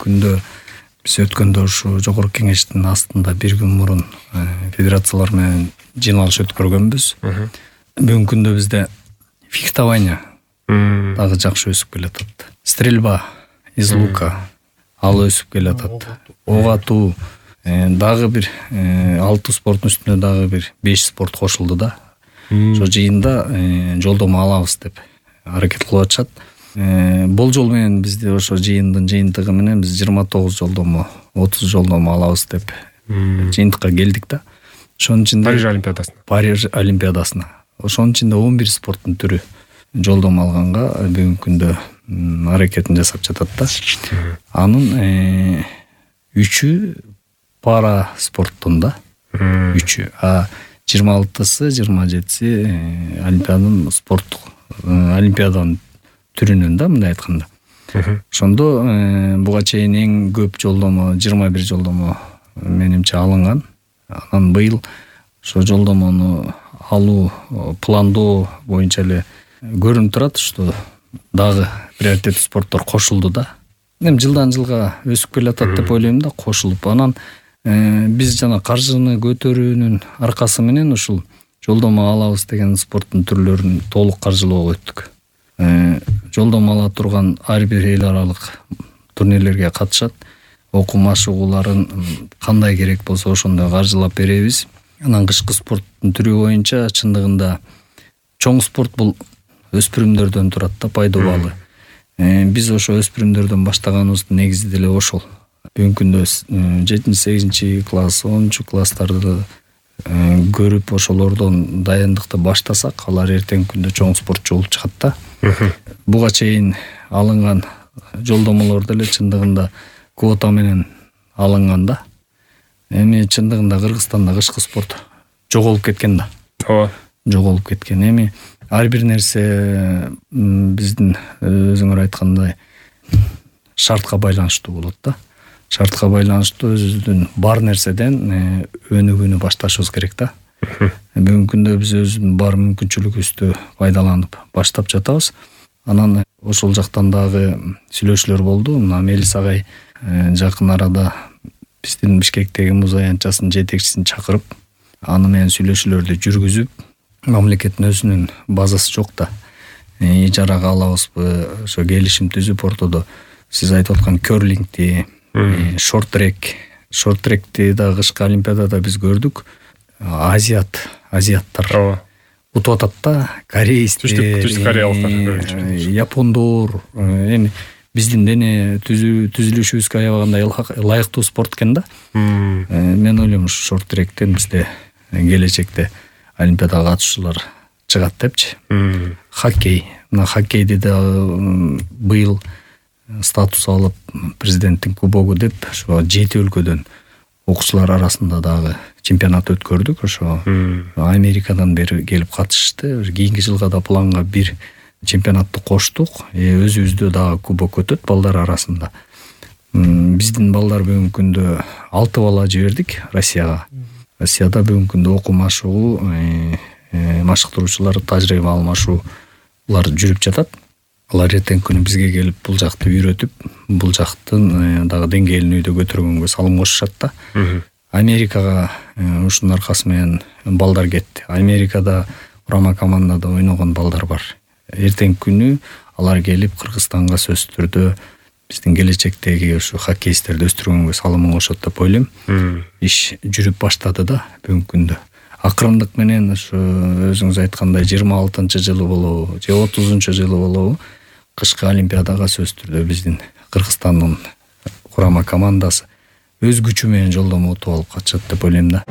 күндө биз өткөндө ушу жогорку кеңештин астында бир күн мурун федерациялар менен жыйналыш өткөргөнбүз. Бүгүнкү күндө бизде фехтование дагы жакшы өсүп келатат. Стрельба из лука ал өсүп келатат. Ок атуу дагы бир 6 спорттун үстүнө дагы бир 5 спорт кошулду да. Ошо жыйында жолдомо алабыз деп аракет кылып атышат. Болжол менен бизде ошо жыйындын жыйынтыгы менен биз 29 жолдомо, 30 жолдомо алабыз деп жыйынтыкка келдик да. Ошонун ичинде Париж олимпиадасына. Ошонун ичинде 11 спорттун түрү жолдомо алганга бүгүнкү күндө аракетин жасап жатат да. Анын 3-ү пара спорттун да. 3-ү. 26-сы, 27-си олимпиаданын түрүнөн да, мындай айтканда. Ошондо буга чейин эң көп жолдомо 21 жолдомо менимче алынган. Анан быйыл ошо жолдомону алуу пландоо боюнча эле көрүнүп турат, что дагы приоритеттүү спорттор кошулду да. Эми жылдан жылга өсүп келатат деп ойлойм да, кошулуп. Анан биз жана каржыны көтөрүүнүн аркасы менен ушул жолдомо алабыз деген спорттун түрлөрүн толук каржылоого өттүк. Жолдомо ала турган ар бир эл аралык турнирлерге катышат. Окуу машыгууларын кандай керек болсо ошондой каржылап беребиз. Анан кышкы спорттун түрү боюнча чындыгында чоң спорт бул өспүрүмдөрдөн турат да, пайдалуу. Биз ошо өспүрүмдөрдөн баштаганыбыздын негизи деле ошол. Бүгүнкү күндө 7-8 класс, 10 класстарды көрүп ошолордон дайындыкты баштасак, алар эртеңки күндө чоң спортчу болуп чыгат да. Буга чейин алынган жолдомолор деле чындыгында квота менен алынган да. Эми чындыгында Кыргызстанда кышкы спорт жоголуп кеткен да. Ооба. Жоголуп кеткен. Эми ар бир нерсе биздин өзүңөр айткандай шартка байланыштуу болот да. Шартка байланыштуу өзүбүздүн бар нерседен өнүгүүнү башташыбыз керек да. Бүгүнкү күндө биз өзүбүздүн бар мүмкүнчүлүгүбүздү пайдаланып баштап жатабыз. Анан ошол жактан дагы сүйлөшүүлөр болду. Мына Мелис агай жакын арада биздин Бишкектеги муз аянтчасынын жетекчисин чакырып, аны менен сүйлөшүүлөрдү жүргүзүп, мамлекеттин өзүнүн базасы жок да. Ижарага алабызбы, ошо келишим түзүп ортодо сиз айтып аткан керлингти, шорт-тректи да кышкы олимпиадада биз көрдүк. Азиаттар утуп атат да, корейстер, япондор. Эми биздин дене түзүлүшүбүзгө аябагандай ылайыктуу спорт экен да. Мен ойлойм ушу шорт-тректен бизде келечекте олимпиадага катышуулар чыгат депчи. Хоккей. Мына хоккейди да быйыл статус алып президенттин кубогу деп ошо 7 өлкөдөн окуучулар арасында дагы чемпионат өткөрдүк. Ошо Америкадан бери келип катышты. Кийинки жылга да планга бир чемпионатты коштук. Өзүбүздө дагы кубок өтөт балдар арасында. Биздин балдар бүгүнкү күндө 6 бала жибердик Россияга. Россияда бүгүнкү күндө окуу машыгуу, машыктыруучулар тажрыйба алмашуулар жүрүп жатат. Алар эртең күнү бизге келип бул жакты үйрөтүп, бул жактын дагы деңгээлин үйдө көтөргөнгө салым кошушат да. Америкага ушунун аркасы менен балдар кетти. Америкада курама командада ойногон балдар бар. Эртең күнү алар келип Кыргызстанга сөзсүз түрдө биздин келечектеги ушу хоккеисттерди өстүргөнгө салымын кошот деп ойлойм. Иш жүрүп баштады да бүгүнкү күндө. Акырындык менен ушу өзүңүз айткандай 26 жылы болобу, же 30 жылы болобу, кышкы олимпиадага сөзсүз түрдө биздин Кыргызстандын курама командасы өз күчү менен жолдомо утуп алып катышат деп ойлойм да.